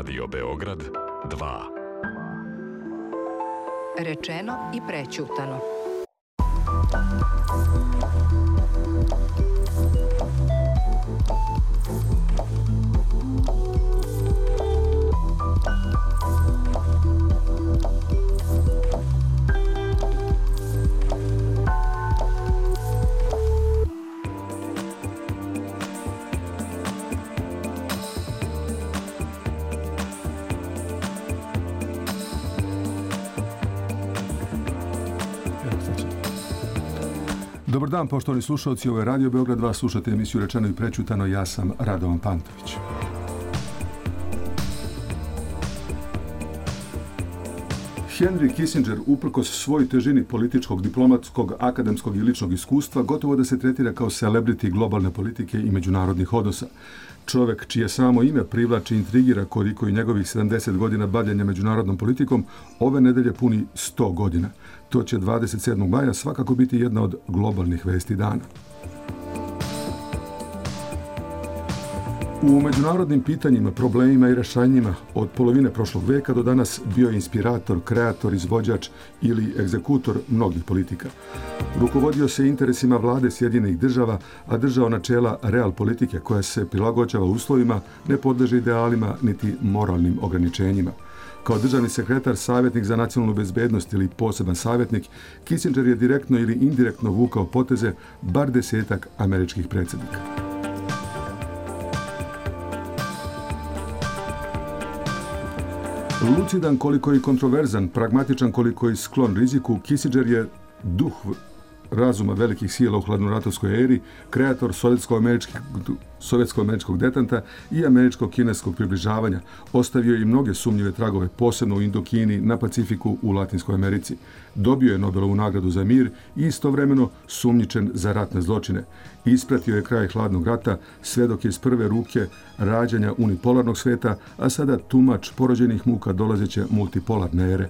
Radio Beograd 2. Rečeno i prećutano. Dobar dan, poštovani slušalci, ovo je Radio Beograd 2, slušate emisiju Rečeno i prećutano, ja sam Radovan Pantović. Henry Kissinger, uprkos svoj težini političkog, diplomatskog, akademskog i ličnog iskustva, gotovo da se tretira kao celebrity globalne politike i međunarodnih odnosa. Čovek čije samo ime privlači i intrigira koliko i njegovih 70 godina bavljenja međunarodnom politikom, ove nedelje puni 100 godina. To će 27. maja svakako biti jedna od globalnih vesti dana. U međunarodnim pitanjima, problemima i rešenjima od polovine prošlog veka do danas bio je inspirator, kreator, izvođač ili egzekutor mnogih politika. Rukovodio se interesima vlade Sjedinjenih država, a držao načela real politike koja se prilagođava uslovima, ne podleže idealima niti moralnim ograničenjima. Kao državni sekretar, savjetnik za nacionalnu bezbednost ili poseban savjetnik, Kissinger je direktno ili indirektno vukao poteze bar 10 američkih predsjednika. Lucidan koliko i kontroverzan, pragmatičan koliko i sklon riziku, Kissinger je duh razuma velikih sila u hladnoratovskoj eri, kreator sovjetsko-američkog detanta i američko-kineskog približavanja. Ostavio je i mnoge sumnjive tragove, posebno u Indokini, na Pacifiku, u Latinskoj Americi. Dobio je Nobelovu nagradu za mir i istovremeno sumnjičen za ratne zločine. Ispratio je kraj hladnog rata, svedok je iz prve ruke rađanja unipolarnog sveta, a sada tumač porođenih muka dolazeće multipolarne ere.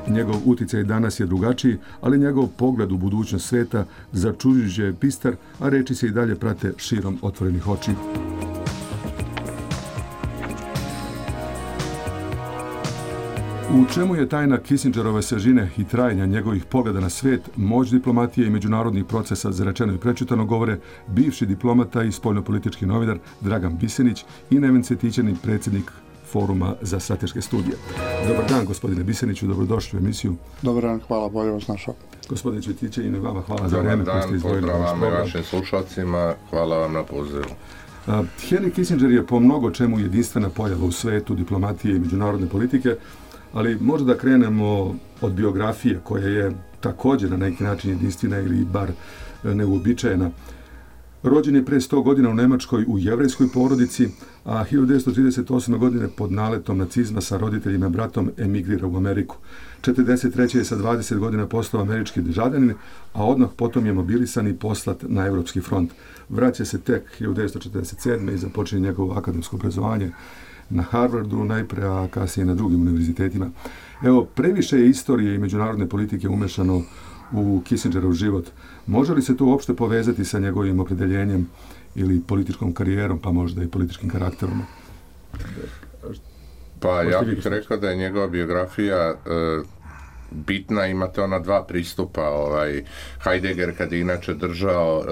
Njegov uticaj danas je drugačiji, ali njegov pogled u budućnost sveta začuđujuće je bistar, a reči se i dalje prate širom otvorenih očiju. U čemu je tajna Kissingerove svežine i trajanja njegovih pogleda na svet, moć diplomatije i međunarodnih procesa za rečeno i prećutano govore bivši diplomata i spoljnopolitički novinar Dragan Bisenić i Neven Cvjetićanin, predsjednik Foruma za strateške studije. Dobar dan, gospodine Biseniću, dobrodošli u emisiju. Dobar dan, hvala, bolje vas našao. Gospodine Cvjetićanin, vama hvala za vreme koje ste izdvojili. Dobar dan, pozdravam vašim slušalcima, hvala vam na pozivu. Henry Kissinger je po mnogo čemu jedinstvena pojava u svetu diplomatije i međunarodne politike, ali možda da krenemo od biografije koja je također na neki način jedinstvena ili bar neuobičajena. Rođen je pre 100 godina u Nemačkoj u jevrejskoj porodici, a 1938. godine pod naletom nacizma sa roditeljima i bratom emigrira u Ameriku. 1943. je sa 20 godina postao američki državljanin, a odmah potom je mobilisan i poslat na evropski front. Vraća se tek 1947. i započinje njegovo akademsko obrazovanje na Harvardu najpre, a kasnije na drugim univerzitetima. Evo, previše je istorije i međunarodne politike umešano u Kissingerov život. Može li se to uopšte povezati sa njegovim opredeljenjem ili političkom karijerom, pa možda i političkim karakterom? Pa ja bih rekao da je njegova biografija bitna, imate ona dva pristupa. Heidegger, kad je inače držao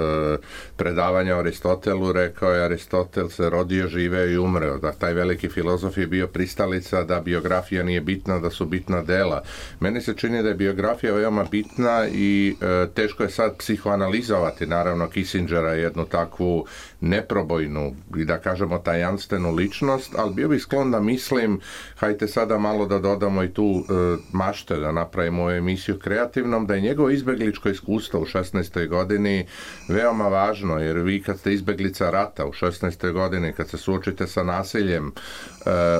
predavanja o Aristotelu, rekao je Aristotel se rodio, živeo i umreo. Da taj veliki filozof je bio pristalica da biografija nije bitna, da su bitna dela. Meni se čini da je biografija veoma bitna i teško je sad psihoanalizovati, naravno, Kissingera, jednu takvu neprobojnu i da kažemo tajanstvenu ličnost, ali bio bih sklon da mislim, hajte sada malo da dodamo i tu mašte, da napravimo ovu emisiju kreativnom, da je njegovo izbegličko iskustvo u 16. godini veoma važno, jer vi kad ste izbeglica rata u 16. godini, kad se suočite sa nasiljem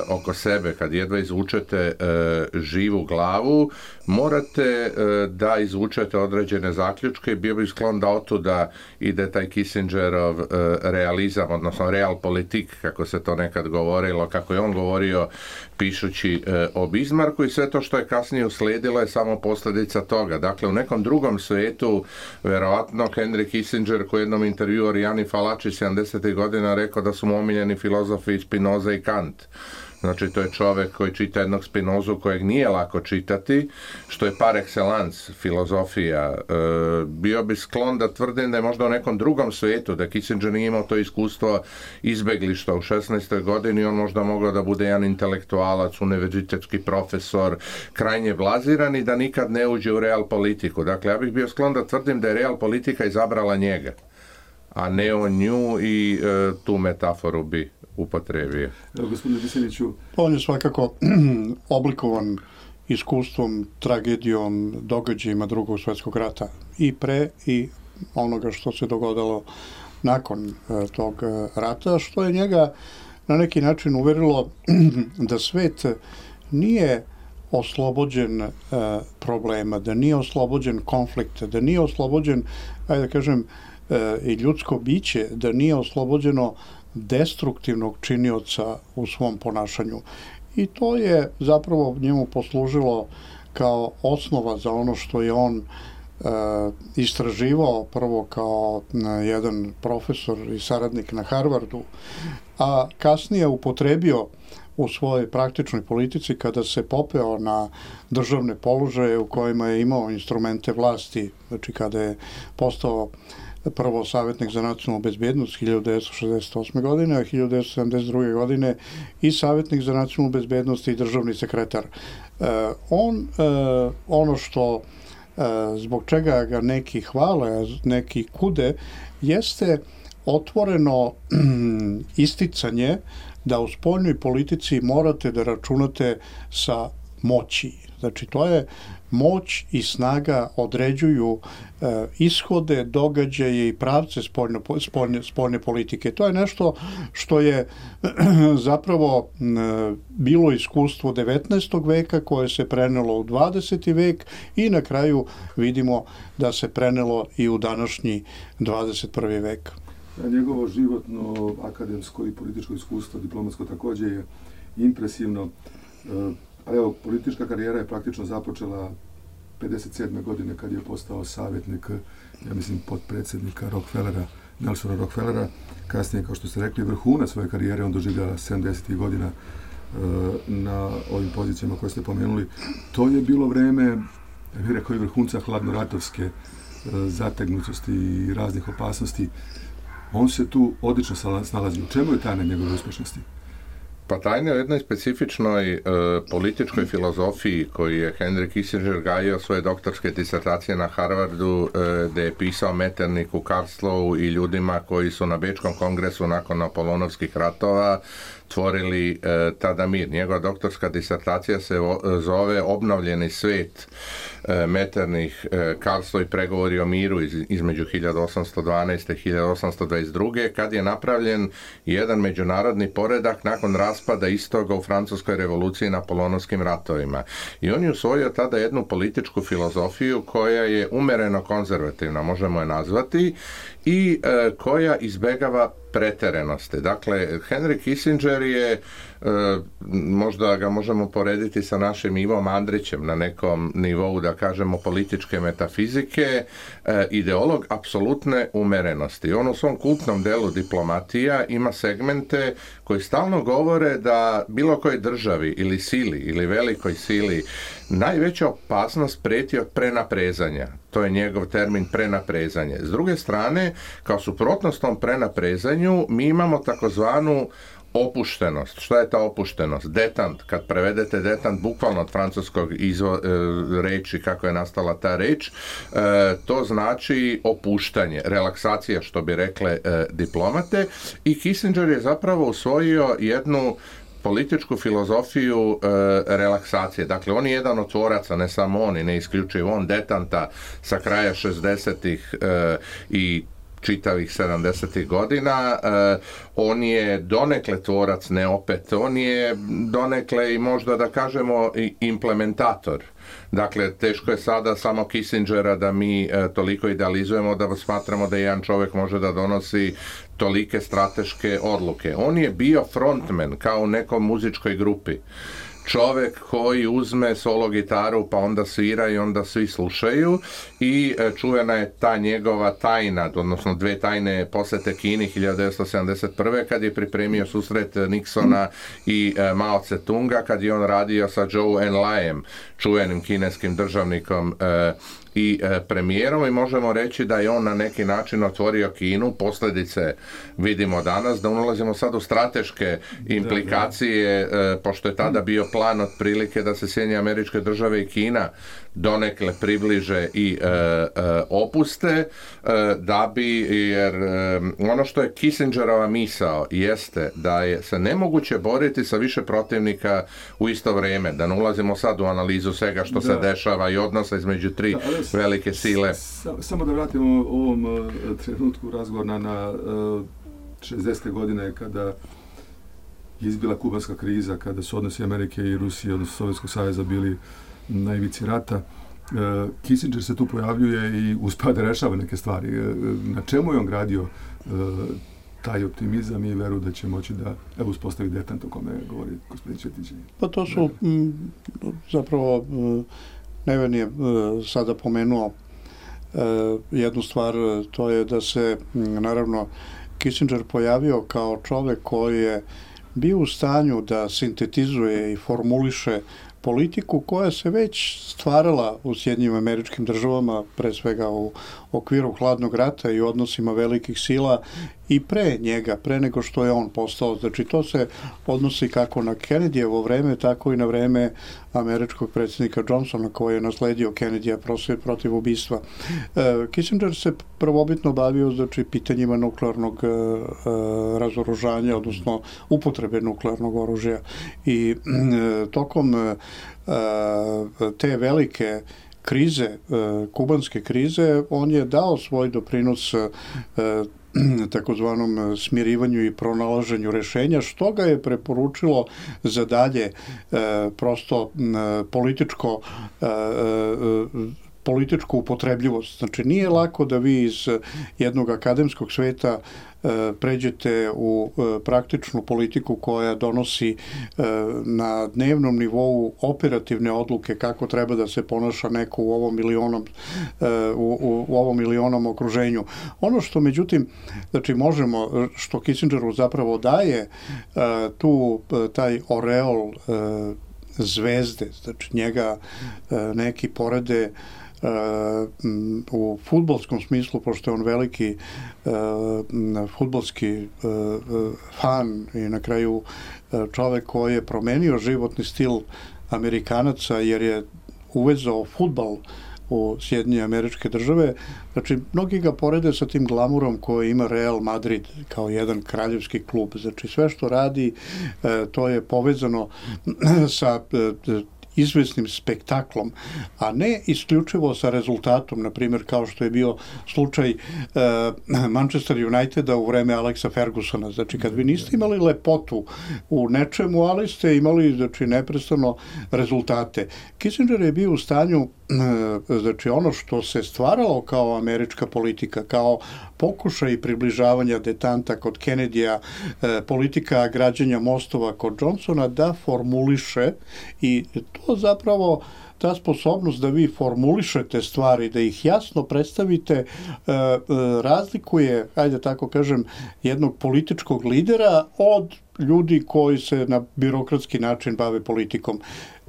oko sebe, kad jedva izvučete živu glavu, morate da izvučete određene zaključke i bio bih sklon da otuda ide taj Kissingerov realizam, odnosno real politik, kako se to nekad govorilo, kako je on govorio pišući o Bismarcku, i sve to što je kasnije uslijedilo je samo posljedica toga. Dakle, u nekom drugom svijetu, verovatno Henry Kissinger, koji u jednom intervjuu Orijani Falači 70. godina rekao da su mu omiljeni filozofi Spinoza i Kant. Znači, to je čovjek koji čita jednog Spinozu kojeg nije lako čitati, što je par excellence filozofija. Bio bi sklon da tvrdim da je možda u nekom drugom svijetu, da Kissinger nije imao to iskustvo izbeglišta u 16. godini, on možda mogao da bude jedan intelektualac, univerzitetski profesor, krajnje blaziran i da nikad ne uđe u real politiku. Dakle, ja bih bio sklon da tvrdim da je real politika izabrala njega, a ne on nju, i tu metaforu bi upotrebio. Evo, gospodine Viseliću. On je svakako oblikovan iskustvom, tragedijom, događajima Drugog svjetskog rata i pre i onoga što se dogodilo nakon tog rata, što je njega na neki način uverilo da svet nije oslobođen problema, da nije oslobođen konflikta, da nije oslobođen, ajde da kažem, i ljudsko biće, da nije oslobođeno destruktivnog činioca u svom ponašanju. I to je zapravo njemu poslužilo kao osnova za ono što je on istraživao prvo kao jedan profesor i saradnik na Harvardu, a kasnije upotrebio u svojoj praktičnoj politici kada se popeo na državne položaje u kojima je imao instrumente vlasti, znači kada je postao prvo savjetnik za nacionalnu bezbjednost 1968. godine, a 1972. godine i savjetnik za nacionalnu bezbjednost i državni sekretar. Ono što zbog čega ga neki hvale, a neki kude, jeste otvoreno isticanje da u spoljnoj politici morate da računate sa moći. Znači, to je moć i snaga određuju ishode, događaje i pravce spoljne politike. To je nešto što je zapravo bilo iskustvo 19. veka koje se prenelo u 20. vek i na kraju vidimo da se prenelo i u današnji 21. vek. Njegovo životno, akademsko i političko iskustvo, diplomatsko također je impresivno. Evo, politička karijera je praktično započela 57. godine kad je postao savjetnik, ja mislim, potpredsjednika Rockefellera, Nelsona Rockefellera. Kasnije, kao što ste rekli, vrhunac svoje karijere on doživljava 70. godina na ovim pozicijama koje ste pomenuli. To je bilo vreme, ja bih rekao, i vrhunca hladnoratovske zategnutosti i raznih opasnosti. On se tu odlično snalazi. U čemu je tajna njegove uspješnosti? Pa tajna je u jednoj specifičnoj političkoj filozofiji koju je Henry Kissinger gajio svoje doktorske disertacije na Harvardu, gdje je pisao Metternichu, Karlslowu i ljudima koji su na Bečkom kongresu nakon Napoleonovskih ratova tvorili tada mir. Njegova doktorska disertacija se zove Obnovljeni svijet, Metternich, Karlslow i pregovori o miru između 1812. i 1822. kad je napravljen jedan međunarodni poredak nakon raspada istoga u Francuskoj revoluciji i Napoleonovskim ratovima. I on je usvojio tada jednu političku filozofiju koja je umjereno konzervativna, možemo je nazvati, i koja izbegava preterenosti. Dakle, Henry Kissinger je, možda ga možemo porediti sa našim Ivom Andrićem na nekom nivou, da kažemo, političke metafizike, ideolog apsolutne umerenosti. On u svom kultnom delu Diplomatija ima segmente koji stalno govore da bilo kojoj državi ili sili ili velikoj sili najveća opasnost prijeti od prenaprezanja. To je njegov termin, prenaprezanje. S druge strane, kao suprotnost tom prenaprezanju, mi imamo takozvanu opuštenost. Šta je ta opuštenost? Detant. Kad prevedete detant bukvalno od francuskog reči, kako je nastala ta reč, to znači opuštanje, relaksacija, što bi rekle diplomate. I Kissinger je zapravo usvojio jednu političku filozofiju relaksacije. Dakle, on je jedan od tvoraca, ne samo on i ne isključivo on, detanta sa kraja 60-ih i čitavih 70. godina. On je donekle tvorac, ne opet. On je donekle i možda da kažemo i implementator. Dakle, teško je sada samo Kissingera da mi toliko idealizujemo da smatramo da jedan čovjek može da donosi tolike strateške odluke. On je bio frontman kao u nekoj muzičkoj grupi. čovek koji uzme solo gitaru pa onda svira i onda svi slušaju i čuvena je ta njegova tajna, odnosno dve tajne posete Kini 1971. kad je pripremio susret Nixona i Mao Tse-tunga, kad je on radio sa Zhou Enlaiem, čuvenim kineskim državnikom i premijerom, i možemo reći da je on na neki način otvorio Kinu. Posljedice vidimo danas, da ulazimo sad u strateške implikacije, pošto je tada bio plan otprilike da se Sjedinjene Američke Države i Kina donekle približe i opuste, da bi, jer ono što je Kissingerova misao jeste da je se nemoguće boriti sa više protivnika u isto vrijeme, da ne ulazimo sad u analizu svega što se dešava i odnosa između tri velike sile. Samo da vratimo ovom trenutku razgovora na 60. godine kada je izbila kubanska kriza, kada su odnosi Amerike i Rusije, odnosno Sovjetskog saveza, bili na ivici rata. Kissinger se tu pojavljuje i uspeva da rešava neke stvari. Na čemu je on gradio taj optimizam i veru da će moći da uspostavi detant o kome govori gospodin Ćetić? Pa to su zapravo, Neven je sada pomenuo jednu stvar, to je da se naravno Kissinger pojavio kao čovek koji je bio u stanju da sintetizuje i formuliše politiku koja se već stvarala u Sjedinjenim Američkim Državama, pre svega u okviru hladnog rata i odnosima velikih sila, i pre njega, pre nego što je on postao. Znači, to se odnosi kako na Kennedyjevo vreme, tako i na vreme američkog predsjednika Johnsona, koji je nasledio Kennedyja protiv ubistva. Kissinger se prvobitno bavio, znači, pitanjima nuklearnog razoružanja, odnosno upotrebe nuklearnog oružja. I tokom te velike krize, kubanske krize, on je dao svoj doprinos takozvanom smirivanju i pronalaženju rešenja, što ga je preporučilo za dalje prosto političku upotrebljivost. Znači, nije lako da vi iz jednog akademskog sveta pređete u praktičnu politiku koja donosi na dnevnom nivou operativne odluke kako treba da se ponaša neko u ovom ili onom okruženju. Ono što međutim, znači možemo, što Kissingeru zapravo daje taj oreol zvezde, znači njega neki porede u fudbalskom smislu, pošto je on veliki fudbalski fan i na kraju čovek koji je promenio životni stil Amerikanaca, jer je uvezao fudbal u Sjedinjene Američke Države. Znači, mnogi ga porede sa tim glamurom koji ima Real Madrid kao jedan kraljevski klub. Znači, sve što radi, to je povezano sa izvesnim spektaklom, a ne isključivo sa rezultatom, na primjer kao što je bio slučaj Manchester Uniteda u vreme Alexa Fergusona. Znači, kad vi niste imali lepotu u nečemu, ali ste imali, znači, neprestano rezultate. Kissinger je bio u stanju, znači, ono što se stvaralo kao američka politika, kao pokušaj približavanja detanta kod Kennedyja, politika građenja mostova kod Johnsona, da formuliše, i to zapravo, ta sposobnost da vi formulišete stvari, da ih jasno predstavite, razlikuje, ajde tako kažem, jednog političkog lidera od ljudi koji se na birokratski način bave politikom.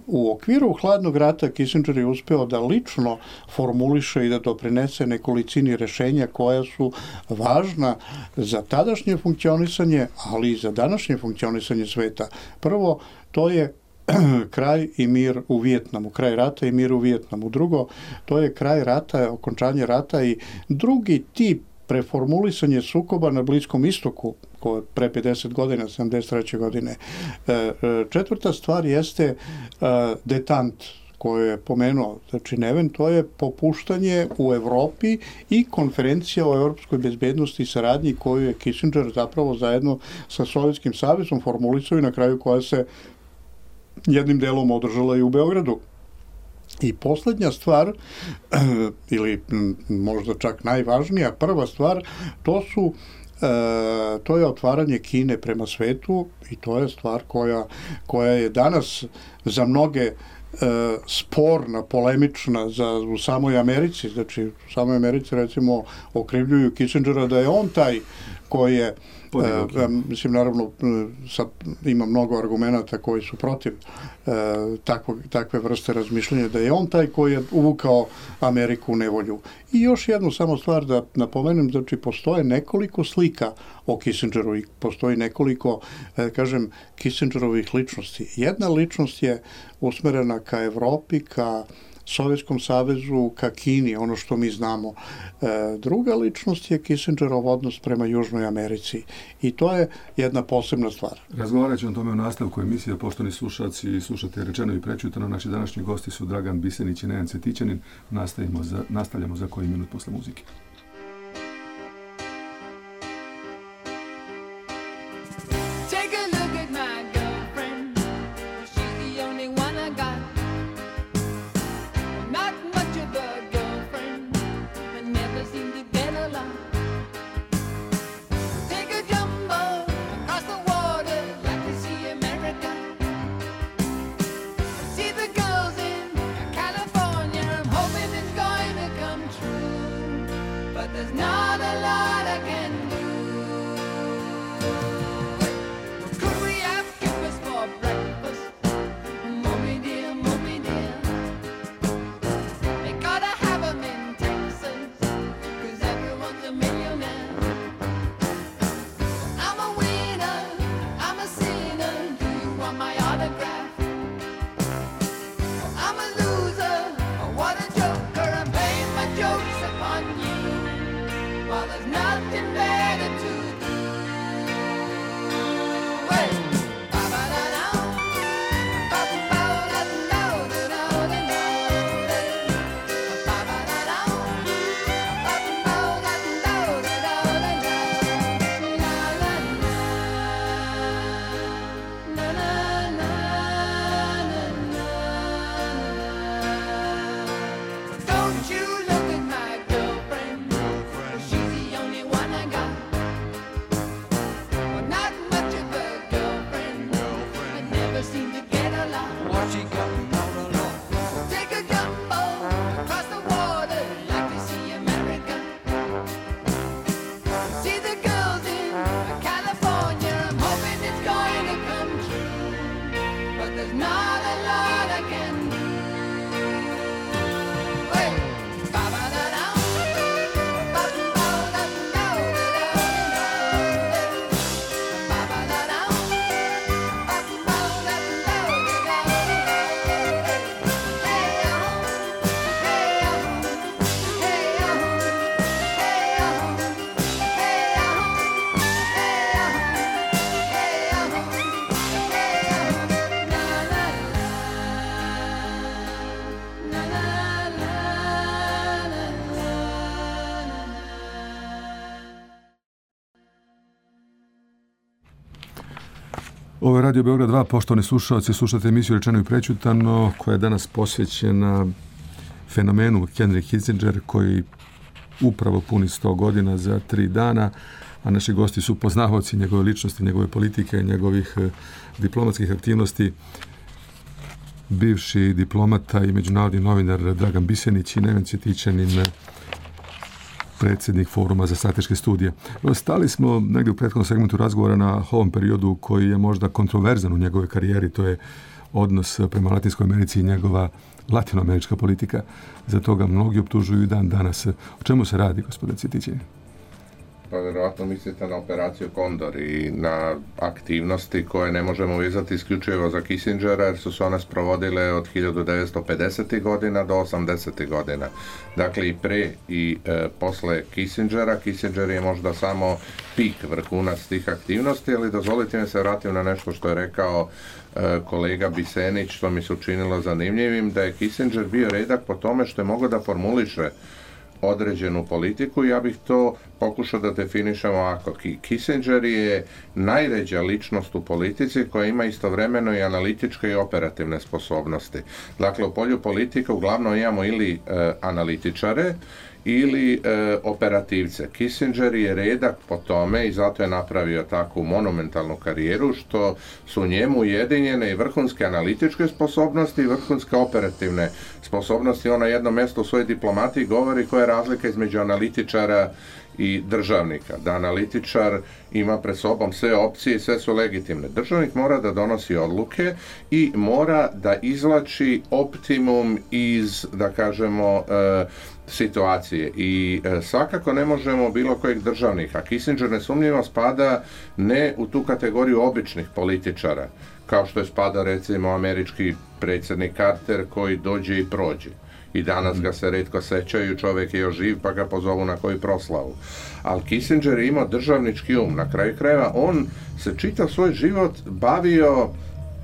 U okviru hladnog rata Kissinger je uspeo da lično formuliše i da doprinese nekolicini rešenja koja su važna za tadašnje funkcionisanje, ali i za današnje funkcionisanje sveta. Prvo, to je kraj i mir u Vijetnamu, kraj rata i mir u Vijetnamu. Drugo, to je kraj rata, okončanje rata i drugi tip preformulisanje sukoba na Bliskom istoku, koje pre 50 godina, 73. godine. Četvrta stvar jeste detant, koje je pomenuo, znači Neven, to je popuštanje u Evropi i konferencija o evropskoj bezbednosti i saradnji koju je Kissinger zapravo zajedno sa Sovjetskim savezom formulisao i na kraju koja se jednim delom održala i u Beogradu. I poslednja stvar, ili možda čak najvažnija, prva stvar, to su to je otvaranje Kine prema svetu i to je stvar koja je danas za mnoge sporna, polemična u samoj Americi. Znači, u samoj Americi recimo okrivljuju Kissingera da je on taj koji je mislim, naravno, ima mnogo argumenata koji su protiv takve vrste razmišljanja, da je on taj koji je uvukao Ameriku u nevolju. I još jednu samo stvar da napomenem, znači, postoje nekoliko slika o Kissingeru i postoji nekoliko, kažem, Kissingerovih ličnosti. Jedna ličnost je usmerena ka Evropi, ka Sovjetskom savezu, ka Kini, ono što mi znamo. Druga ličnost je Kissingerov odnos prema Južnoj Americi i to je jedna posebna stvar. Razgovarat ćemo o tome u nastavku emisije, poštovani slušalci i slušate Rečeno i prečutano. Naši današnji gosti su Dragan Bisenić i Neven Cvetićanin. Nastavljamo za koji minut posle muzike. Ovo je Radio Beograd 2, poštovani slušalci, slušate emisiju Rečeno i prečutano, koja je danas posvećena fenomenu Henry Kissinger, koji upravo puni 100 godina za 3 dana, a naši gosti su poznavaoci njegove ličnosti, njegove politike, njegovih diplomatskih aktivnosti, bivši diplomata i međunarodni novinar Dragan Bisenić i Neven Cvetićanin, predsjednik Foruma za strateške studije. Stali smo negdje u prethodnom segmentu razgovora na ovom periodu koji je možda kontroverzan u njegove karijeri, to je odnos prema Latinskoj Americi i njegova latinoamerička politika. Za toga mnogi optužuju i dan danas. O čemu se radi, gospodine Cvetićanin? Pa vjerojatno mislite na operaciju Kondor i na aktivnosti koje ne možemo vezati isključivo za Kissingera, jer su se one sprovodile od 1950. godina do 80. godina. Dakle, i pre i posle Kissingera. Kissinger je možda samo pik, vrhunac tih aktivnosti, ali dozvolite mi se vratim na nešto što je rekao kolega Bisenić, što mi se učinilo zanimljivim, da je Kissinger bio redak po tome što je mogao da formuliše određenu politiku. Ja bih to pokušao da definišem ovako. Kissinger je najređa ličnost u politici koja ima istovremeno i analitičke i operativne sposobnosti. Dakle, u polju politike uglavnom imamo ili analitičare ili operativce. Kissinger je redak po tome i zato je napravio takvu monumentalnu karijeru što su njemu ujedinjene i vrhunske analitičke sposobnosti i vrhunske operativne sposobnosti. On na jednom mjestu u svojoj diplomatiji govori koja je razlika između analitičara i državnika. Da analitičar ima pred sobom sve opcije i sve su legitimne. Državnik mora da donosi odluke i mora da izvlači optimum iz, da kažemo, situacije. I svakako ne možemo bilo kojeg državnika. Kissinger nesumnjivo spada ne u tu kategoriju običnih političara, kao što je spada recimo američki predsjednik Carter koji dođe i prođe. I danas ga se retko sećaju, čovjek je još živ pa ga pozovu na koju proslavu. Ali Kissinger je imao državnički um. Na kraju krajeva on se čitav svoj život bavio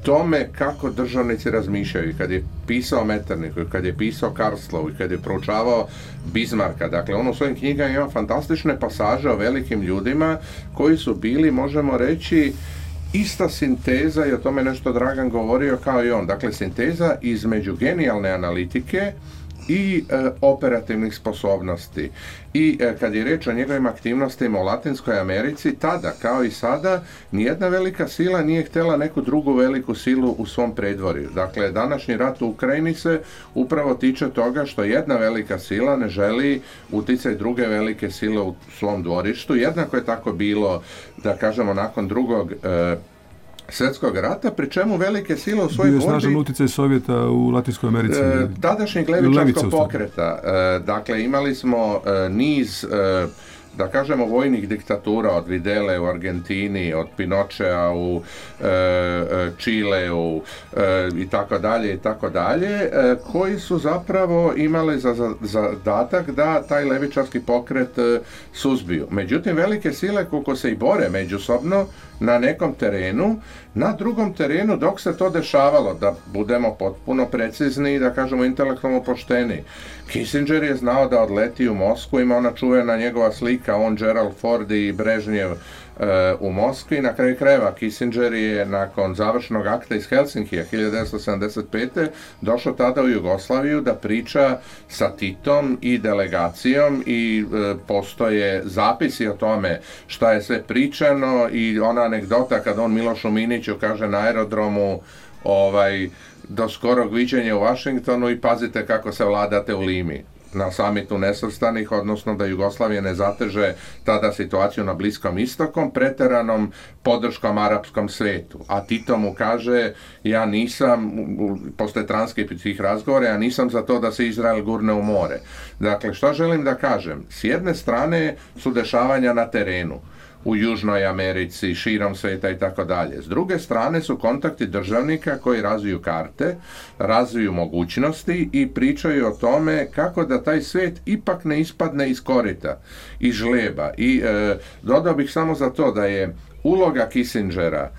tome kako državnici razmišljaju. I kad je pisao Metternichu, kad je pisao Karlovu, i kad je proučavao Bismarcka, dakle on u svojim knjigama ima fantastične pasaže o velikim ljudima koji su bili, možemo reći, ista sinteza, i o tome nešto Dragan govorio kao i on, dakle sinteza između genijalne analitike i operativnih sposobnosti. I kad je reč o njegovim aktivnostima u Latinskoj Americi, tada kao i sada nijedna velika sila nije htjela neku drugu veliku silu u svom predvorju. Dakle, današnji rat u Ukrajini se upravo tiče toga što jedna velika sila ne želi uticaj druge velike sile u svom dvorištu. Jednako je tako bilo, da kažemo, nakon drugog svjetskog rata, pri čemu velike sile u svojoj borbi... Bio je snažan utjecaj Sovjeta u Latinskoj Americi. Tadašnjeg levičarskog pokreta. Dakle, imali smo niz, da kažemo, vojnih diktatura od Videle u Argentini, od Pinochea u Čileu i tako dalje, koji su zapravo imali za zadatak da taj levičarski pokret suzbiju. Međutim, velike sile koliko se i bore međusobno na nekom terenu, na drugom terenu dok se to dešavalo, da budemo potpuno precizni i da kažemo intelektualno pošteni. Kissinger je znao da odleti u Moskvu, ima ona čuvena njegova slika, on, Gerald Ford i Brežnjev u Moskvi. Na kraju krajeva Kissinger je nakon završnog akta iz Helsinkija 1975. došao tada u Jugoslaviju da priča sa Titom i delegacijom i postoje zapisi o tome šta je sve pričano i ona anegdota kad on Milošu Miniću kaže na aerodromu do skorog viđenja u Vašingtonu i pazite kako se vladate u Limi. Na samitu nesvrstanih, odnosno da Jugoslavija ne zateže tada situaciju na Bliskom istokom preteranom podrškom arapskom svetu. A Tito mu kaže, ja nisam, posle transkript razgovora, ja nisam za to da se Izrael gurne u more. Dakle, što želim da kažem? S jedne strane su dešavanja na terenu, u Južnoj Americi, širom sveta i tako dalje. S druge strane su kontakti državnika koji razviju karte, razviju mogućnosti i pričaju o tome kako da taj svijet ipak ne ispadne iz korita, iz žleba. I dodao bih samo za to da je uloga Kissingera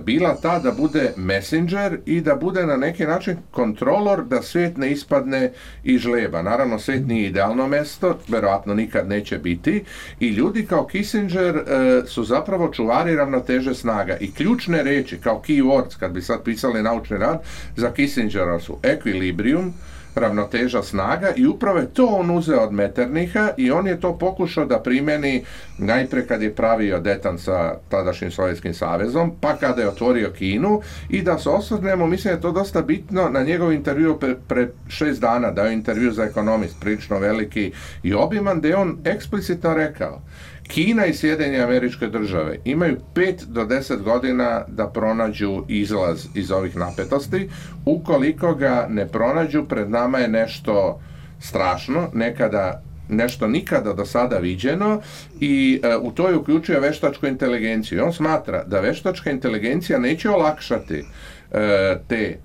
bila ta da bude messenger i da bude na neki način kontrolor da svijet ne ispadne iz žleba. Naravno, svijet nije idealno mesto, verovatno nikad neće biti i ljudi kao Kissinger su zapravo čuvari ravnoteže snaga i ključne reči kao keywords, kad bi sad pisali naučni rad, za Kissingera su equilibrium, ravnoteža snaga i upravo je to on uzeo od Metternicha i on je to pokušao da primeni najpre kad je pravio detan sa tadašnjim Sovjetskim savezom, pa kada je otvorio Kinu i da se osvrnemo, mislim da je to dosta bitno, na njegov intervju pre 6 dana, dao intervju za Economist, prilično veliki i obiman, gde je on eksplicitno rekao Kina i Sjedinjene Američke Države imaju 5 do 10 godina da pronađu izlaz iz ovih napetosti. Ukoliko ga ne pronađu, pred nama je nešto strašno, nešto nikada do sada viđeno i u to je uključio veštačku inteligenciju. On smatra da veštačka inteligencija neće olakšati te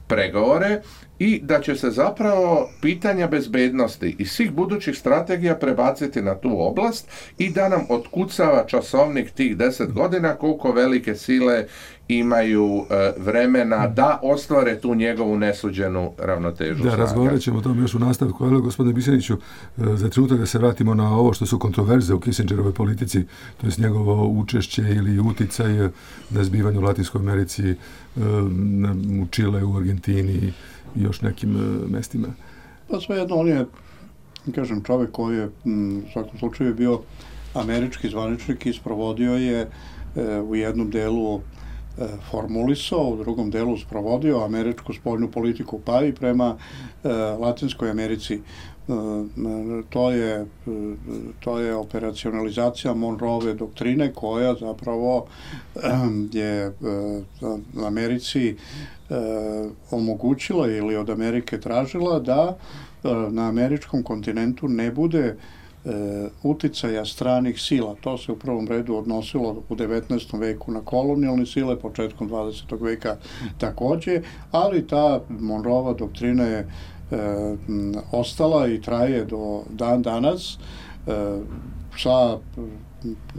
pregovore i da će se zapravo pitanja bezbednosti i svih budućih strategija prebaciti na tu oblast i da nam otkucava časovnik tih 10 godina koliko velike sile imaju vremena da ostvare tu njegovu nesuđenu ravnotežu. Da, razgovarat ćemo o tom još u nastavku. Ali, gospodine Biseniću, za trenutak da se vratimo na ovo što su kontroverze u Kissingerovoj politici, to je njegovo učešće ili uticaj na zbivanje u Latinskoj Americi, u Čile, u Argentini i još nekim mestima. Pa svejedno, on je kažem, čovjek koji je u svakom slučaju bio američki zvaničnik i sprovodio je u jednom delu formulisao, u drugom delu sprovodio američku spoljnu politiku, pa i prema Latinskoj Americi. To je operacionalizacija Monroeve doktrine koja zapravo je Americi omogućila ili od Amerike tražila da na američkom kontinentu ne bude uticaja stranih sila. To se u prvom redu odnosilo u 19. veku na kolonijalne sile, početkom 20. veka takođe, ali ta Monroeva doktrina je ostala i traje do dan danas sa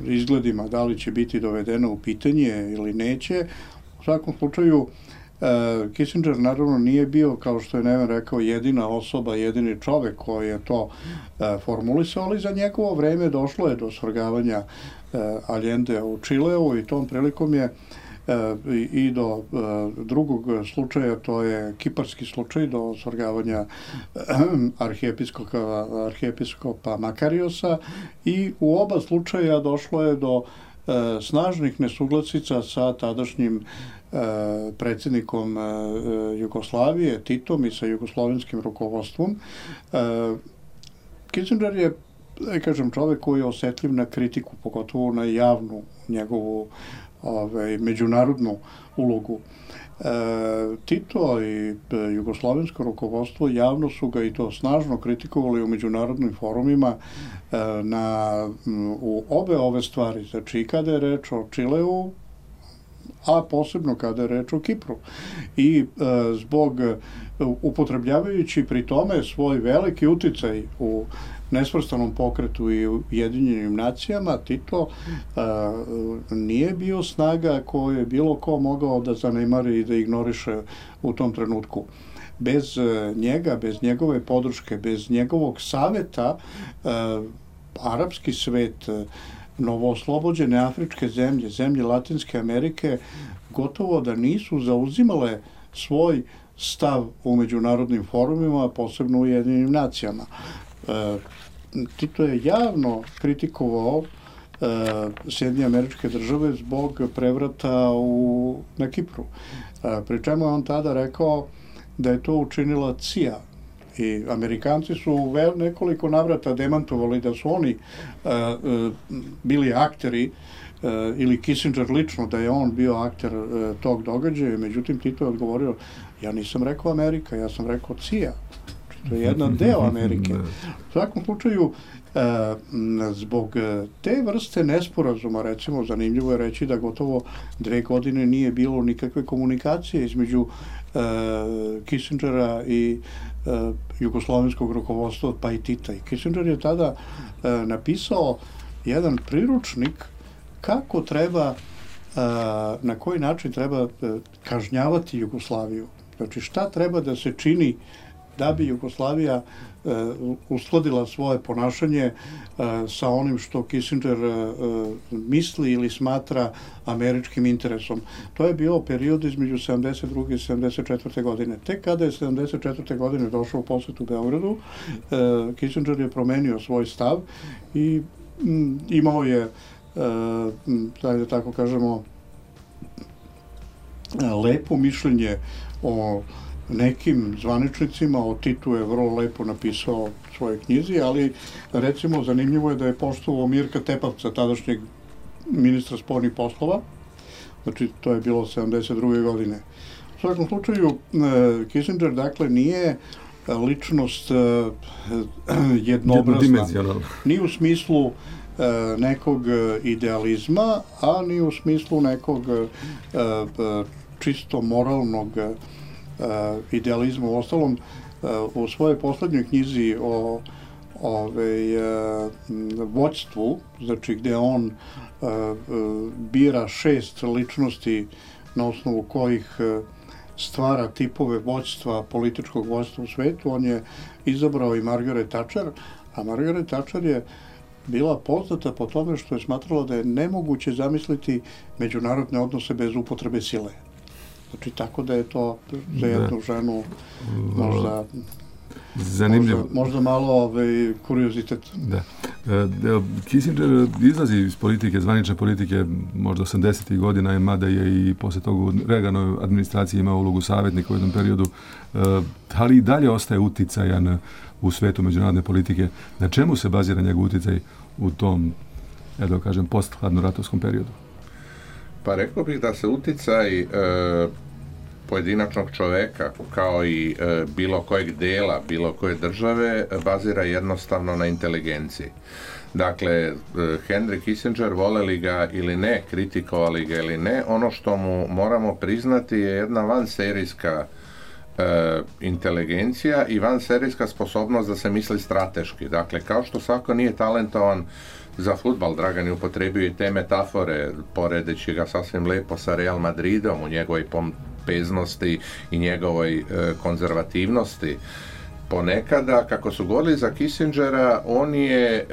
izgledima da li će biti dovedeno u pitanje ili neće. U svakom slučaju Kissinger naravno nije bio, kao što je Neven rekao, jedina osoba, jedini čovek koji je to formulisao, ali za njegovo vreme došlo je do svrgavanja Allende u Čileu i tom prilikom je i do drugog slučaja, to je kiparski slučaj, do svrgavanja arhijepiskopa Makariosa, i u oba slučaja došlo je do snažnih nesuglasica sa tadašnjim predsjednikom Jugoslavije, Titom, i sa jugoslovenskim rukovodstvom. Kissinger je, kažem, čovjek koji je osjetljiv na kritiku, pogotovo na javnu njegovu međunarodnu ulogu. Tito i jugoslovensko rukovodstvo javno su ga i to snažno kritikovali u međunarodnim forumima u obe ove stvari, znači i kada je reč o Čileu, a posebno kada je reč o Kipru. I zbog, upotrebljavajući pri tome svoj veliki uticaj u nesvrstanom pokretu i Ujedinjenim nacijama, Tito nije bio snaga koju je bilo ko mogao da zanemari i da ignoriše u tom trenutku. Bez njega, bez njegove podrške, bez njegovog saveta, arapski svet, novooslobođene afričke zemlje, zemlje Latinske Amerike, gotovo da nisu zauzimale svoj stav u međunarodnim forumima, posebno u Ujedinjenim nacijama. Tito je javno kritikovao Sjedinjene Američke Države zbog prevrata na Kipru. Pri čemu je on tada rekao da je to učinila CIA. I Amerikanci su u nekoliko navrata demantovali da su oni bili akteri, ili Kissinger lično, da je on bio akter tog događaja. Međutim, Tito je odgovorio, ja nisam rekao Amerika, ja sam rekao CIA. To je jedan deo Amerike. U svakom slučaju, zbog te vrste nesporazuma, recimo, zanimljivo je reći da gotovo 2 godine nije bilo nikakve komunikacije između Kissingera i jugoslovenskog rukovodstva, pa i Tita. I Kissinger je tada napisao jedan priručnik kako treba, na koji način treba kažnjavati Jugoslaviju. Znači, šta treba da se čini da bi Jugoslavija uskladila svoje ponašanje sa onim što Kissinger misli ili smatra američkim interesom. To je bio period između 72. i 74. godine. Tek kada je 74. godine došao u posjetu Beogradu, Kissinger je promenio svoj stav i imao je, da tako kažemo, lepo mišljenje o nekim zvaničnicima. O Titu je vrlo lepo napisao u svojoj knjizi, ali recimo zanimljivo je da je poštovao Mirka Tepavca, tadašnjeg ministra spoljnih poslova. Znači, to je bilo 72. godine. U svakom slučaju, Kissinger, dakle, nije ličnost jednobrazna. Ni u smislu nekog idealizma, a ni u smislu nekog čisto moralnog idealizma. U ostalom, u svojoj poslednjoj knjizi o vođstvu, znači gde on bira 6 ličnosti na osnovu kojih stvara tipove vođstva, političkog vođstva u svetu, on je izabrao i Margaret Thatcher, a Margaret Thatcher je bila poznata po tome što je smatrala da je nemoguće zamisliti međunarodne odnose bez upotrebe sile. Znači, tako da je to za jednu ženu možda Zanimljivo. Možda malo kuriozitet. Da. Kissinger izlazi iz politike, zvanične politike, možda 80. godina, mada je i posle toga u Reaganove administraciji imao ulogu savjetnika u jednom periodu, ali i dalje ostaje uticajan u svetu međunarodne politike. Na čemu se bazira njegov uticaj u tom, da kažem, post-hladnoratovskom periodu? Pa rekao bih da se uticaj pojedinačnog čoveka, kao i bilo kojeg dela, bilo koje države, bazira jednostavno na inteligenciji. Dakle, Henry Kissinger, voleli ga ili ne, kritikovali ga ili ne, ono što mu moramo priznati je jedna vanserijska inteligencija i vanserijska sposobnost da se misli strateški. Dakle, kao što svako nije talentovan za fudbal, Dragan je upotrebio i te metafore, poredeći ga sasvim lepo sa Real Madridom u njegovoj pompeznosti i njegovoj konzervativnosti. Ponekada, kako su govorili za Kissingera, on je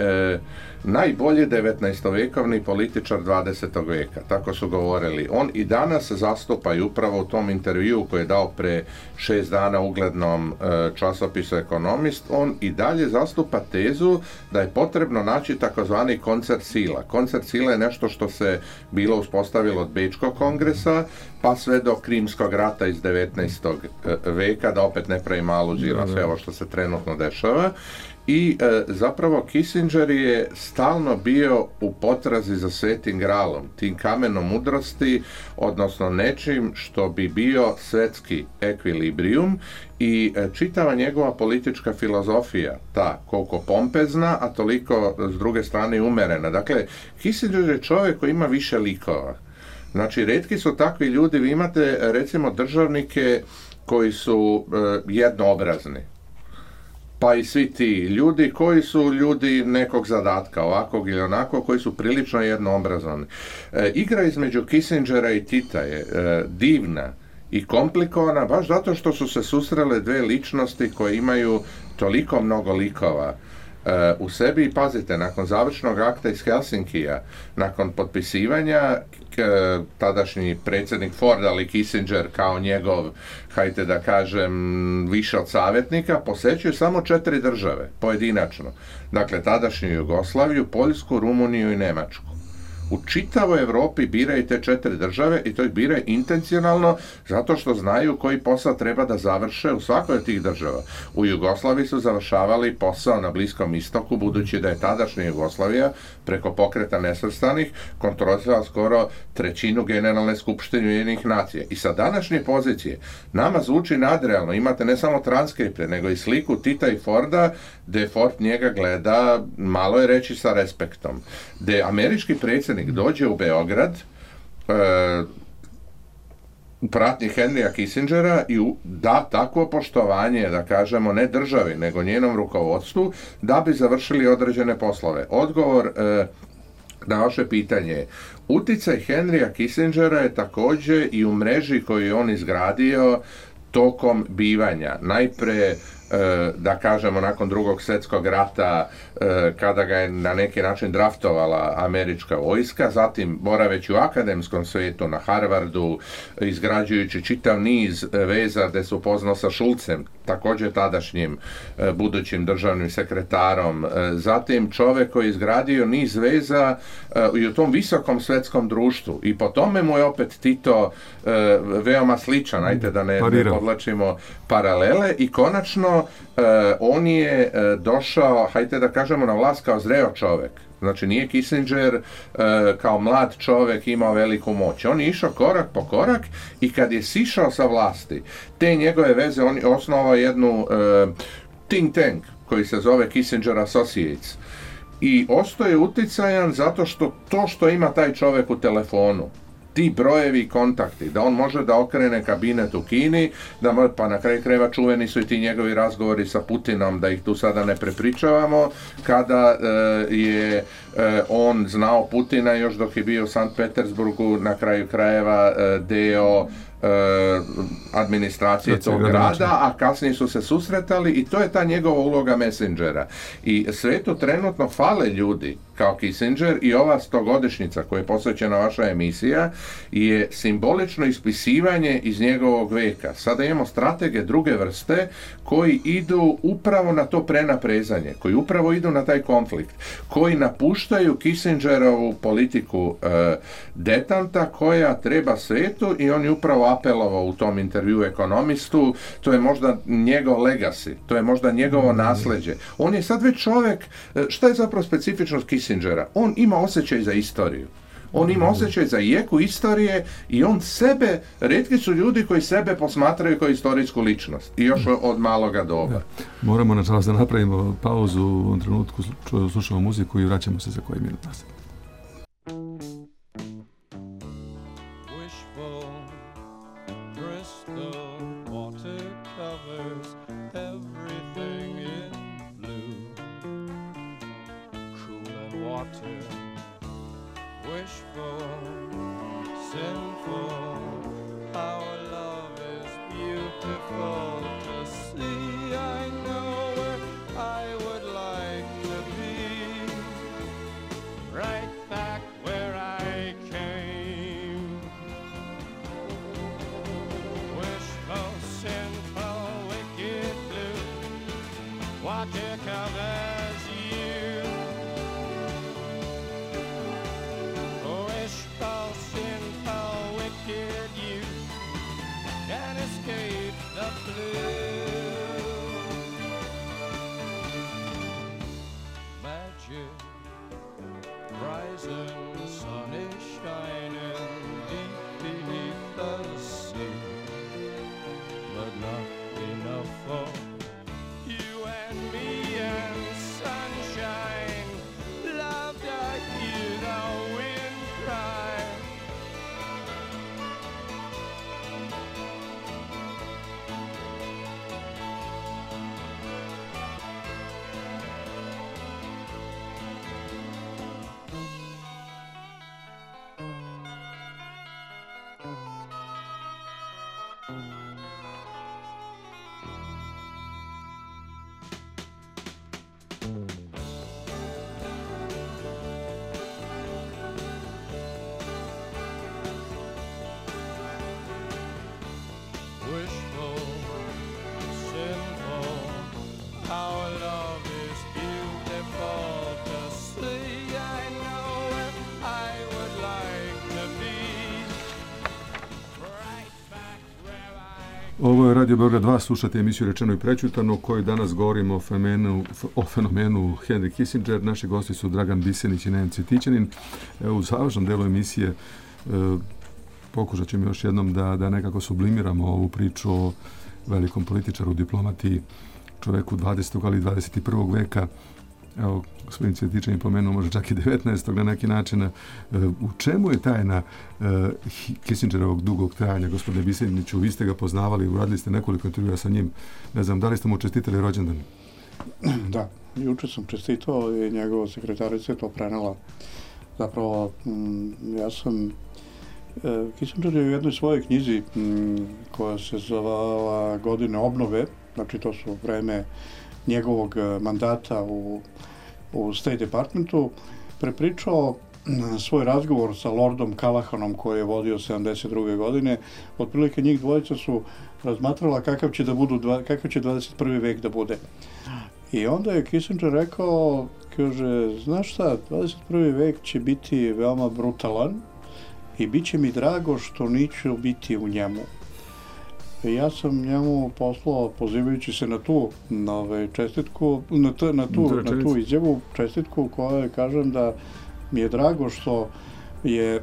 najbolji 19-vekovni političar 20. veka, tako su govorili. On i danas zastupa i upravo u tom intervjuu koji je dao pre 6 dana uglednom časopisu Ekonomist, on i dalje zastupa tezu da je potrebno naći takozvani koncert sila. Koncert sila je nešto što se bilo uspostavilo od Bečkog kongresa, pa sve do Krimskog rata iz 19. veka, da opet ne pravim aluziju na sve ovo što se trenutno dešava. I zapravo Kissinger je stalno bio u potrazi za svetim gralom, tim kamenom mudrosti, odnosno nečim što bi bio svetski ekvilibrijum, i čitava njegova politička filozofija, ta koliko pompezna, a toliko s druge strane umerena. Dakle, Kissinger je čovjek koji ima više likova. Znači, retki su takvi ljudi, vi imate recimo državnike koji su jednoobrazni, pa i svi ti ljudi koji su ljudi nekog zadatka, ovakvog ili onako, koji su prilično jednoobrazovani. Igra između Kissingera i Tita je divna i komplikovana, baš zato što su se susrele dve ličnosti koje imaju toliko mnogo likova u sebi. I pazite, nakon završnog akta iz Helsinkija, nakon potpisivanja, tadašnji predsjednik Ford, ali Kissinger kao njegov, hajde da kažem, više od savjetnika, posećuje samo 4 države, pojedinačno. Dakle, tadašnju Jugoslaviju, Poljsku, Rumuniju i Nemačku. U čitavoj Evropi biraju te 4 države i to ih biraju intencionalno zato što znaju koji posao treba da završe u svakoj od tih država. U Jugoslaviji su završavali posao na Bliskom istoku, budući da je tadašnja Jugoslavija preko Pokreta nesvrstanih kontrolisala skoro 1/3 Generalne skupštine Ujedinjenih nacija. I sa današnje pozicije nama zvuči nadrealno. Imate ne samo transkripte, nego i sliku Tita i Forda, gde Ford njega gleda, malo je reći, sa respektom. Gde američki predsjednik dođe u Beograd u pratnji Henrya Kissingera i da takvo poštovanje, da kažemo, ne državi, nego njenom rukovodstvu, da bi završili određene poslove. Odgovor na vaše pitanje, uticaj Henrya Kissingera je također i u mreži koju je on izgradio tokom bivanja. Najpre, da kažemo, nakon Drugog svjetskog rata, kada ga je na neki način draftovala američka vojska, zatim boraveći u akademskom svijetu na Harvardu, izgrađujući čitav niz veza gde se upoznao sa Šulcem, također tadašnjim budućim državnim sekretarom, zatim čovjek koji je izgradio niz veza i u tom visokom svjetskom društvu, i po tome mu je opet Tito veoma sličan, ajte da ne podlačimo paralele, i konačno on je došao, hajde da kažemo, na vlast kao zreo čovjek. Znači, nije Kissinger kao mlad čovjek imao veliku moć. On je išao korak po korak i kad je sišao sa vlasti, te njegove veze, on je osnovao jednu think tank koji se zove Kissinger Associates. I ostao je uticajan zato što to što ima taj čovjek u telefonu, ti brojevi i kontakti, da on može da okrene kabinet u Kini, pa na kraju krajeva čuveni su i ti njegovi razgovori sa Putinom, da ih tu sada ne prepričavamo, kada je on znao Putina još dok je bio u Sankt Petersburgu, na kraju krajeva deo administracije tog grada, a kasnije su se susretali i to je ta njegova uloga messengera. I svetu trenutno fale ljudi kao Kissinger i ova 100-godišnjica koja je posvećena vaša emisija je simbolično ispisivanje iz njegovog veka. Sada imamo stratege druge vrste koji idu upravo na to prenaprezanje, koji upravo idu na taj konflikt, koji napuštaju Kissingerovu politiku detanta koja treba svetu i on je upravo apelovao u tom intervju Ekonomistu, to je možda njegov legacy, to je možda njegovo nasleđe. On je sad već čovjek, šta je zapravo specifičnost Kissingera? On ima osjećaj za istoriju. On ima osjećaj za jeku istorije i on sebe, retki su ljudi koji sebe posmatraju kao istorijsku ličnost. I još od maloga doba. Ja. Moramo, nažalost, da napravimo pauzu u ovom trenutku, slušamo muziku i vraćamo se za koji minut nazad. Ovo je Radio Beograd 2, slušate emisiju Rečeno i prećutano, u kojoj danas govorimo o fenomenu Henry Kissinger. Naši gosti su Dragan Bisenić i Neven Cvjetićanin. Evo, u završnom delu emisije pokušat ćemo još jednom da nekako sublimiramo ovu priču o velikom političaru, diplomati, čoveku 20. ali 21. veka. Evo, gospodin Cvjetićanin pomenuo možda čak i 19. na neki način. U čemu je tajna Kissingerovog dugog trajanja, gospodine Biseniću? Vi ste ga poznavali, uradili ste nekoliko intervjua sa njim. Ne znam, da li ste mu čestitali rođendan? Da, juče sam čestitao i njegova sekretarica je to prenela. Zapravo, ja sam Kissinger je u jednoj svojoj knjizi koja se zvala Godine obnove, znači to su vreme njegovog mandata u State Departmentu, prepričao svoj razgovor sa Lordom Callahanom koji je vodio 72. godine. Otprilike njih dvojica su razmatrala kakav će 21. vek da bude. I onda je Kissinger rekao, kaže, znaš šta, 21. vek će biti veoma brutalan i bit će mi drago što neću biti u njemu. Ja sam njemu poslao, pozivajući se na tu čestitku, na tu izjavu, čestitku koja kažem da mi je drago što je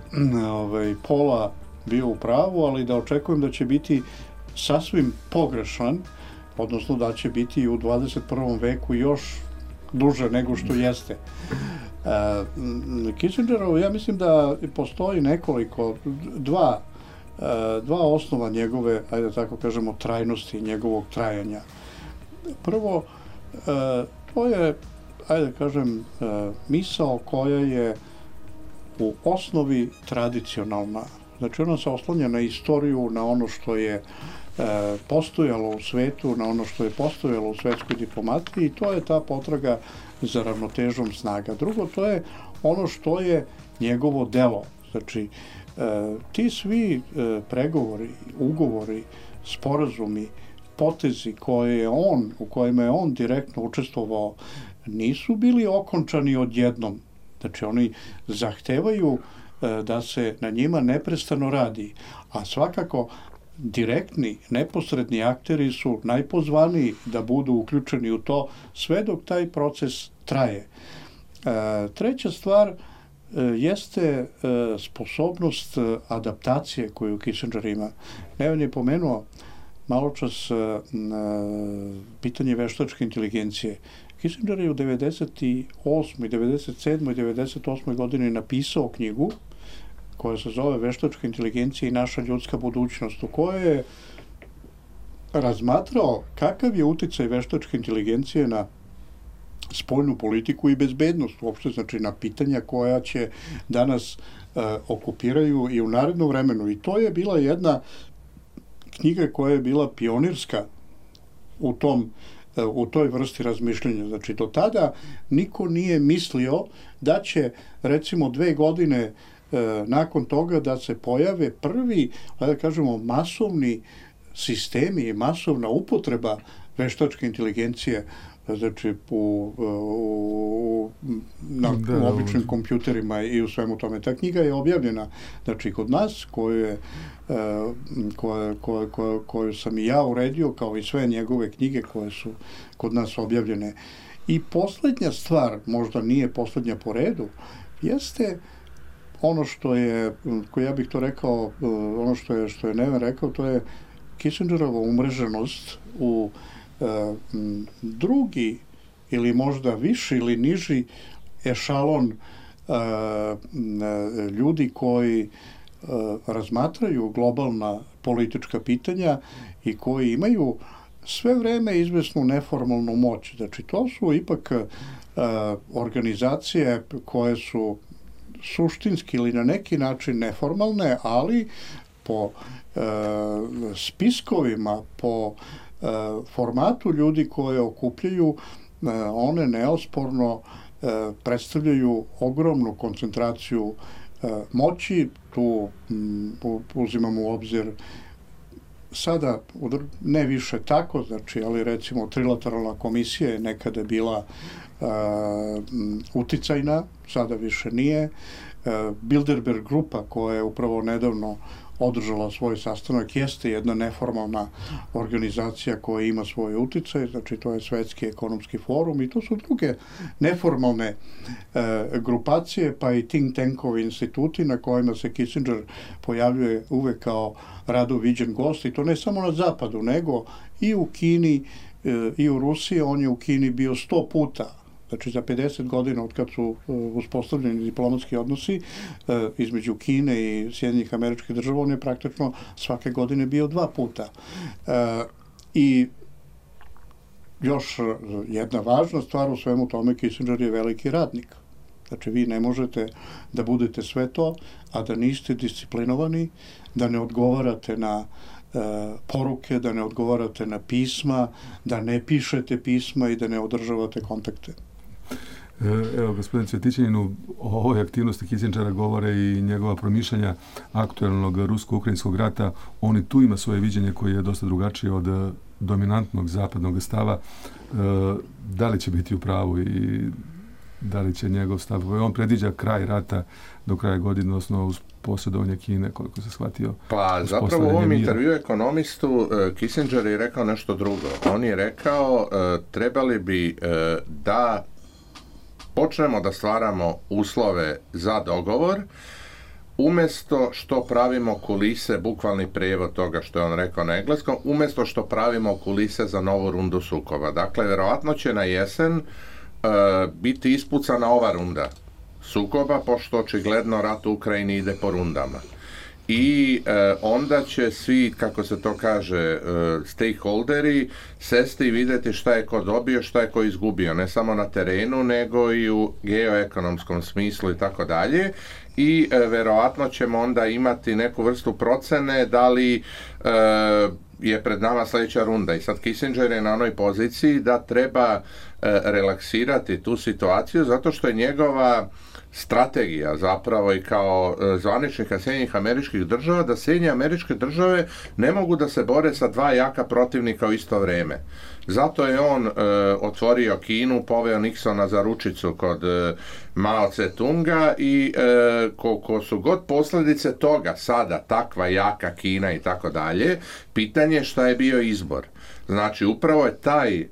Pola bio u pravu, ali da očekujem da će biti sasvim pogrešan, odnosno da će biti u 21. veku još duže nego što jeste. Kissingerov, ja mislim da postoji nekoliko, dva osnova njegove, ajde tako kažemo, trajnosti, njegovog trajanja. Prvo, to je, ajde kažem, misao koja je u osnovi tradicionalna. Znači ona se oslanja na istoriju, na ono što je postojalo u svetu, na ono što je postojalo u svetskoj diplomatiji i to je ta potraga za ravnotežom snaga. Drugo, to je ono što je njegovo delo. Znači, ti svi pregovori, ugovori, sporazumi, potezi u kojima je on direktno učestvovao, nisu bili okončani odjednom. Znači, oni zahtevaju da se na njima neprestano radi, a svakako direktni, neposredni akteri su najpozvaniji da budu uključeni u to sve dok taj proces traje. Treća stvar jeste sposobnost adaptacije koju Kissinger ima. Neven je pomenuo maločas pitanje veštačke inteligencije. Kissinger je u 98. 97. i 98. godini napisao knjigu koja se zove Veštačka inteligencija i naša ljudska budućnost, u kojoj je razmatrao kakav je uticaj veštačke inteligencije na spoljnu politiku i bezbednost uopšte, znači na pitanja koja će danas okupiraju i u narednom vremenu. I to je bila jedna knjiga koja je bila pionirska u toj vrsti razmišljanja. Znači, do tada niko nije mislio da će, recimo, 2 godine nakon toga da se pojave prvi, da kažemo, masovni sistemi i masovna upotreba veštačke inteligencije, znači na običnim kompjuterima i u svemu tome. Ta knjiga je objavljena, znači, kod nas, koju sam i ja uredio, kao i sve njegove knjige koje su kod nas objavljene. I poslednja stvar, možda nije poslednja po redu, jeste ono što je, ja bih to rekao, ono što je Neven rekao, to je Kissingerova umreženost u drugi ili možda viši ili niži ešalon ljudi koji razmatraju globalna politička pitanja i koji imaju sve vreme izvesnu neformalnu moć. Znači, to su ipak organizacije koje su suštinski ili na neki način neformalne, ali po spiskovima, po formatu ljudi koje okupljaju, one neosporno predstavljaju ogromnu koncentraciju moći. Tu uzimamo u obzir sada ne više tako, znači, ali recimo trilateralna komisija je nekada bila uticajna, sada više nije. Bilderberg grupa koja je upravo nedavno održala svoj sastanak jeste jedna neformalna organizacija koja ima svoj uticaj, znači to je Svetski ekonomski forum i to su druge neformalne grupacije, pa i think tankovi instituti na kojima se Kissinger pojavljuje uvek kao rado viđen gost, i to ne samo na zapadu, nego i u Kini i u Rusiji. On je u Kini bio 100 puta. Znači, za 50 godina od kad su uspostavljeni diplomatski odnosi između Kine i Sjedinjenih Američkih Država, on je praktično svake godine bio 2 puta. I još jedna važna stvar u svemu tome, Kissinger je veliki radnik. Znači, vi ne možete da budete sve to, a da niste disciplinovani, da ne odgovarate na poruke, da ne odgovarate na pisma, da ne pišete pisma i da ne održavate kontakte. Evo, gospodin Cvjetićanin, o ovoj aktivnosti Kissingera govore i njegova promišljanja aktualnog rusko-ukrajinskog rata. On i tu ima svoje viđenje koje je dosta drugačije od dominantnog zapadnog stava. Da li će biti u pravu i da li će njegov stav? On predviđa kraj rata do kraja godine, odnosno uz posjedovanje Kine, koliko se shvatio. Pa zapravo u ovom intervju ekonomistu Kissinger je rekao nešto drugo. On je rekao trebali bi da počnemo da stvaramo uslove za dogovor, umjesto što pravimo kulise, bukvalni prijevod toga što je on rekao na engleskom, umjesto što pravimo kulise za novu rundu sukoba. Dakle, vjerovatno će na jesen biti ispucana ova runda sukoba, pošto očigledno rat u Ukrajini ide po rundama. i onda će svi, kako se to kaže, stakeholderi sesti i vidjeti šta je ko dobio, šta je ko izgubio, ne samo na terenu, nego i u geoekonomskom smislu i tako dalje. I verovatno ćemo onda imati neku vrstu procene da li je pred nama sljedeća runda. I sad Kissinger je na onoj poziciji da treba relaksirati tu situaciju zato što je njegova strategija zapravo i kao zvaničnika Sjedinjenih Američkih Država da Sjedinjene Američke Države ne mogu da se bore sa dva jaka protivnika u isto vrijeme. Zato je on otvorio Kinu, poveo Nixona za ručicu kod Mao Tse-tunga i ko su god posljedice toga sada, takva jaka Kina i tako dalje, pitanje šta je bio izbor. Znači upravo je taj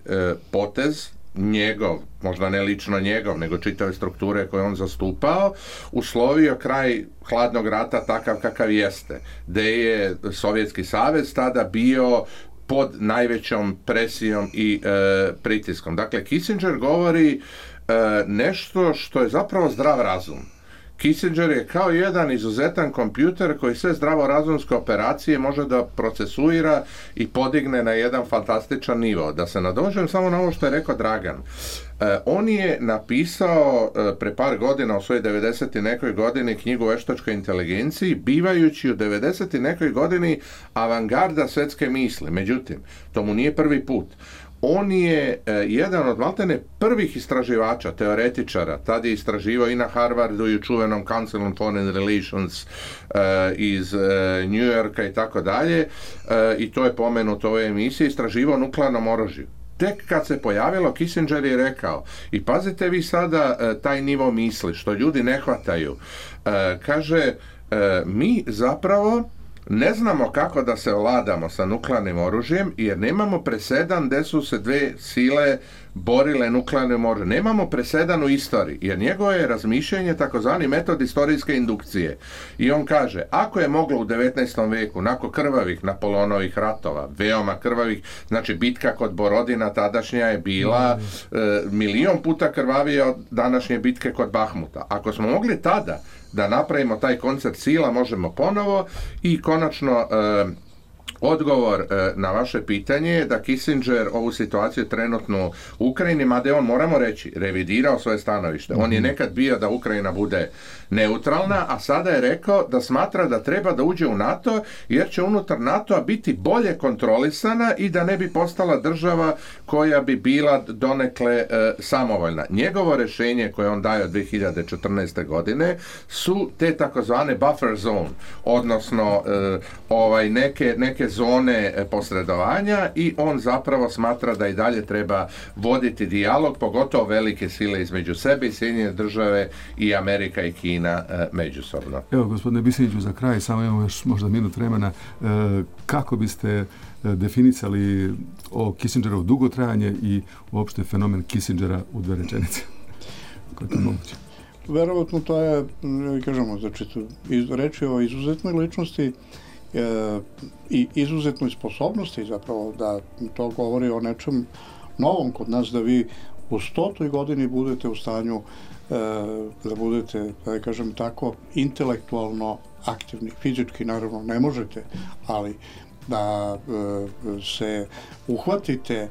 potez njegov, možda ne lično njegov, nego čitave strukture koje on zastupao, uslovio kraj hladnog rata takav kakav jeste, gdje je Sovjetski savez tada bio pod najvećom presijom i pritiskom. Dakle, Kissinger govori nešto što je zapravo zdrav razum. Kissinger je kao jedan izuzetan kompjuter koji sve zdravorazumske operacije može da procesuira i podigne na jedan fantastičan nivo. Da se nadožem samo na ovo što je rekao Dragan. On je napisao pre par godina, u svojoj 90. nekoj godini, knjigu o veštačkoj inteligenciji, bivajući u 90. nekoj godini avangarda svetske misli. Međutim, to mu nije prvi put. On je jedan od maltene prvih istraživača, teoretičara, tad je istraživao i na Harvardu i u čuvenom Council on Foreign Relations iz New Yorka i tako dalje, i to je pomenuto u ovoj emisiji, istraživao nuklearnom oružju. Tek kad se pojavilo, Kissinger je rekao, i pazite vi sada taj nivo misli, što ljudi ne hvataju, kaže, mi zapravo ne znamo kako da se ovladamo sa nuklearnim oružjem jer nemamo presedan gdje su se dve sile borile nuklearnim oružjem. Nemamo presedan u istoriji jer njegovo je razmišljanje takozvani metod istorijske indukcije. I on kaže, ako je moglo u 19. veku, nakon krvavih Napoleonovih ratova, veoma krvavih, znači bitka kod Borodina tadašnja je bila milion puta krvavija od današnje bitke kod Bahmuta. Ako smo mogli tada da napravimo taj koncert sila, možemo ponovo. I konačno odgovor na vaše pitanje je da Kissinger ovu situaciju trenutno u Ukrajini, mada je on, moramo reći, revidirao svoje stanovište. On je nekad bio da Ukrajina bude neutralna, a sada je rekao da smatra da treba da uđe u NATO jer će unutar NATO-a biti bolje kontrolisana i da ne bi postala država koja bi bila donekle samovoljna. Njegovo rješenje koje on daje od 2014. godine su te takozvane buffer zone, odnosno neke zone posredovanja, i on zapravo smatra da i dalje treba voditi dijalog, pogotovo velike sile između sebe i Sjedinjene Države i Amerika i Kina međusobno. Evo, gospodine Bisiniću, za kraj, samo imamo još možda minut vremena, kako biste definicali o Kissingerovo dugotrajanje i uopšte fenomen Kissingera u dve rečenice? Kako je to moguće? Verovatno to je, kažemo, znači, reč je o izuzetnoj ličnosti i izuzetnoj sposobnosti, zapravo da to govori o nečem novom kod nas, da vi u 100. godini budete u stanju da budete, da kažem tako, intelektualno aktivni. Fizički naravno ne možete, ali da se uhvatite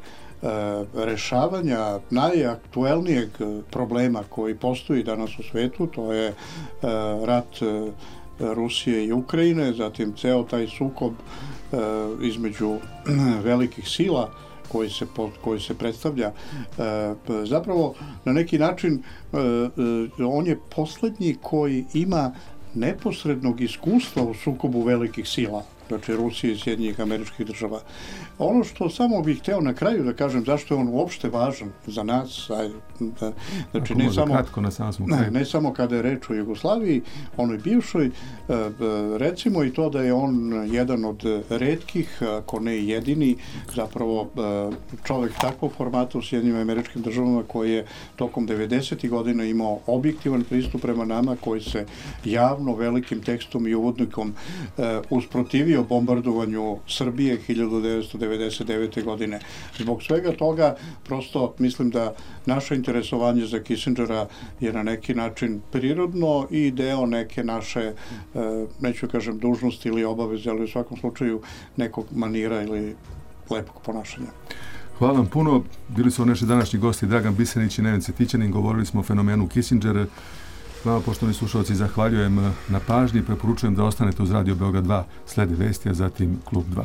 rešavanja najaktuelnijeg problema koji postoji danas u svetu, to je rat Rusije i Ukrajine, zatim ceo taj sukob između velikih sila koji se predstavlja. Zapravo, na neki način, on je posljednji koji ima neposrednog iskustva u sukobu velikih sila, znači Rusije i Sjedinjenih Američkih Država. Ono što samo bih hteo na kraju da kažem, zašto je on uopšte važan za nas, znači ne samo kada je reč o Jugoslaviji, onoj bivšoj, recimo i to da je on jedan od retkih, ako ne jedini, zapravo čovjek takvog formata u Sjedinjenim Američkim Državama koji je tokom 90. godina imao objektivan pristup prema nama, koji se javno velikim tekstom i uvodnikom usprotivio protivio bombardovanju Srbije 1999. godine. Zbog svega toga prosto mislim da naše interesovanje za Kissingera je na neki način prirodno i deo neke naše, neću kažem dužnosti ili obaveze, ali u svakom slučaju nekog manira ili lepog ponašanja. Hvala vam puno. Bili su naši današnji gosti Dragan Bisenić i Neven Cvetićanin. Govorili smo o fenomenu Kissinger. Vama, poštovani slušalci, zahvaljujem na pažnji i preporučujem da ostanete uz Radio Beograd 2. Slede vesti, a zatim Klub 2.